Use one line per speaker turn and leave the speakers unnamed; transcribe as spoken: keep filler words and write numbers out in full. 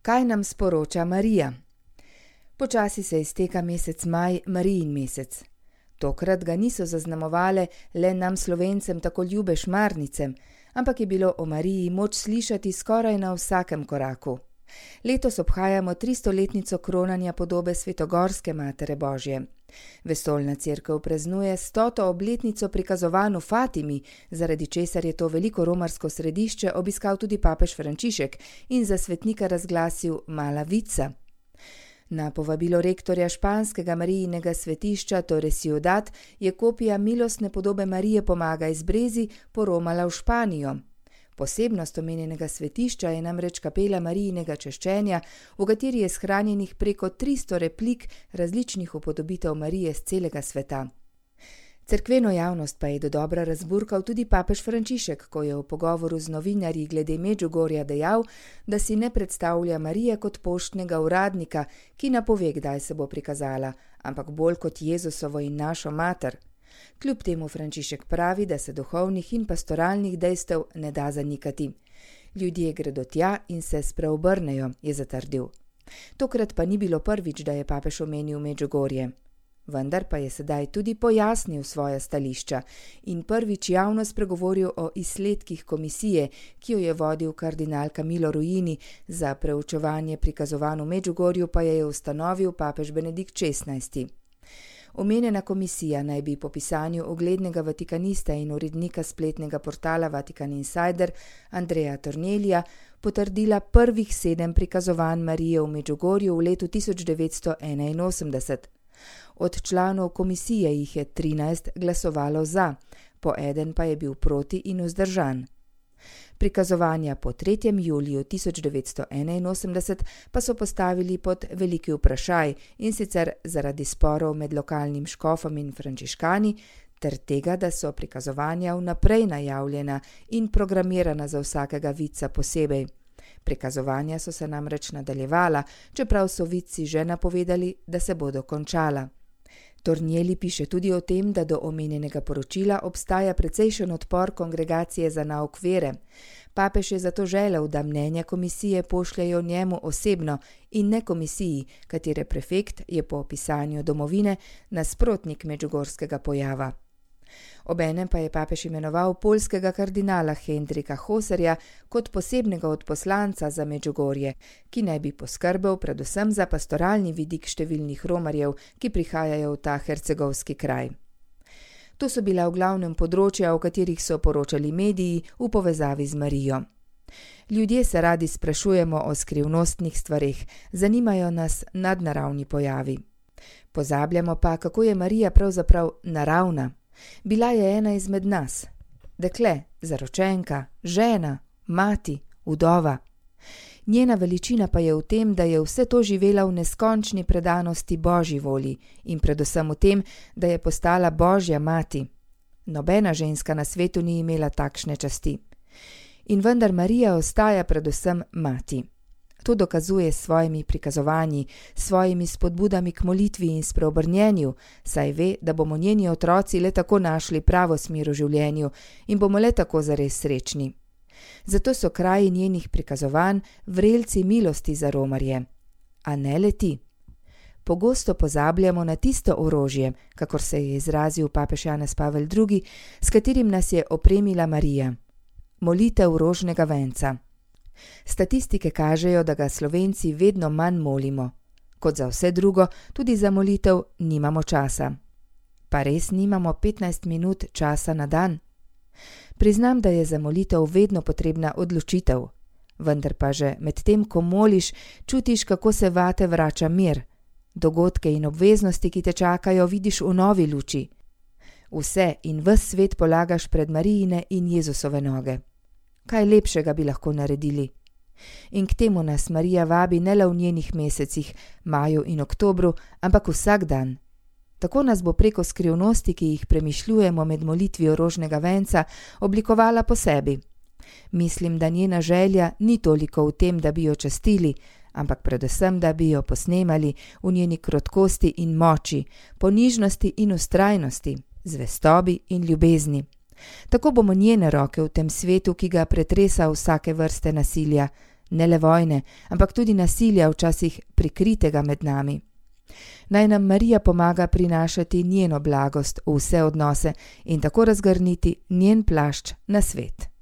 Kaj nam sporoča Marija? Počasi se izteka mesec maj, Marijin mesec. Tokrat ga niso zaznamovale le nam Slovencem tako ljube šmarnicem, ampak je bilo o Mariji moč slišati skoraj na vsakem koraku. Letos obhajamo tristoletnico kronanja podobe Svetogorske Matere Božje. Vesoljna cerkev praznuje stoto obletnico prikazovanj v Fatimi, zaradi česar je to veliko romarsko središče obiskal tudi papež Frančišek in za svetnika razglasil Mala Vica. Na povabilo rektorja španskega Marijinega svetišča Torre Ciudad je kopija milostne podobe Marije Pomaga iz Brezi poromala v Španijo. Posebnost omenjenega svetišča je namreč kapela Marijinega češčenja, v kateri je shranjenih preko tristo replik različnih upodobitev Marije z celega sveta. Cerkveno javnost pa je dodobra razburkal tudi papež Frančišek, ko je v pogovoru z novinarji glede Medžugorja dejal, da si ne predstavlja Marije kot poštnega uradnika, ki napove, kdaj se bo prikazala, ampak bolj kot Jezusovo in našo mater. Kljub temu Frančišek pravi, da se duhovnih in pastoralnih dejstev ne da zanikati. Ljudje gredo tja in se spreobrnejo, je zatrdil. Tokrat pa ni bilo prvič, da je papež omenil Medžugorje. Vendar pa je sedaj tudi pojasnil svoja stališča in prvič javno spregovoril o izsledkih komisije, ki jo je vodil kardinal Camillo Ruini, za preučevanje prikazovanj v Medžugorju pa je ustanovil papež Benedikt šestnajsti. Omenjena komisija naj bi po pisanju uglednega vatikanista in urednika spletnega portala Vatican Insider Andreja Tornelija potrdila prvih sedem prikazovanj Marije v Medžugorju v letu tisoč devetsto enainosemdeset. Od članov komisije jih je trinajst glasovalo za, po eden pa je bil proti in vzdržan. Prikazovanja po tretjem juliju tisoč devetsto enainosemdeset pa so postavili pod veliki vprašaj, in sicer zaradi sporov med lokalnim škofom in frančiškani, ter tega, da so prikazovanja vnaprej najavljena in programirana za vsakega vidca posebej. Prikazovanja so se namreč nadaljevala, čeprav so vidci že napovedali, da se bodo končala. Tornieli piše tudi o tem, da do omenjenega poročila obstaja precejšen odpor kongregacije za nauk vere. Papež je zato želel, da mnenja komisije pošljajo njemu osebno in ne komisiji, katere prefekt je po opisanju domovine nasprotnik medžugorskega pojava. Obenem pa je papež imenoval poljskega kardinala Hendrika Hoserja kot posebnega odposlanca za Medžugorje, ki naj bi poskrbel predvsem za pastoralni vidik številnih romarjev, ki prihajajo v ta hercegovski kraj. To so bila v glavnem področja, o katerih so poročali mediji v povezavi z Marijo. Ljudje se radi sprašujemo o skrivnostnih stvareh, zanimajo nas nadnaravni pojavi. Pozabljamo pa, kako je Marija pravzaprav naravna. Bila je ena izmed nas, dekle, zaročenka, žena, mati, vdova. Njena veličina pa je v tem, da je vse to živela v neskončni predanosti Božji volji in predvsem v tem, da je postala Božja mati. Nobena ženska na svetu ni imela takšne časti. In vendar Marija ostaja predvsem mati. To dokazuje s svojimi prikazovanji, svojimi spodbudami k molitvi in spreobrnjenju, saj ve, da bomo njeni otroci le tako našli pravo smer v življenju in bomo le tako zares srečni. Zato so kraji njenih prikazovanj vrelci milosti za romarje. A ne le ti. Pogosto pozabljamo na tisto orožje, kakor se je izrazil papež Janez Pavel drugi, s katerim nas je opremila Marija. Molitev rožnega venca. Statistike kažejo, da ga Slovenci vedno manj molimo. Kot za vse drugo, tudi za molitev nimamo časa. Pa res nimamo petnajst minut časa na dan? Priznam, da je za molitev vedno potrebna odločitev. Vendar pa že med tem, ko moliš, čutiš, kako se vate vrača mir. Dogodke in obveznosti, ki te čakajo, vidiš v novi luči. Vse in ves svet polagaš pred Marijine in Jezusove noge. Kaj lepšega bi lahko naredili? In k temu nas Marija vabi ne le v njenih mesecih, maju in oktobru, ampak vsak dan. Tako nas bo preko skrivnosti, ki jih premišljujemo med molitvijo rožnega venca, oblikovala po sebi. Mislim, da njena želja ni toliko v tem, da bi jo častili, ampak predvsem, da bi jo posnemali v njeni krotkosti in moči, ponižnosti in vztrajnosti, zvestobi in ljubezni. Tako bomo njene roke v tem svetu, ki ga pretresa vsake vrste nasilja, ne le vojne, ampak tudi nasilja, včasih prikritega med nami. Naj nam Marija pomaga prinašati njeno blagost v vse odnose in tako razgrniti njen plašč na svet.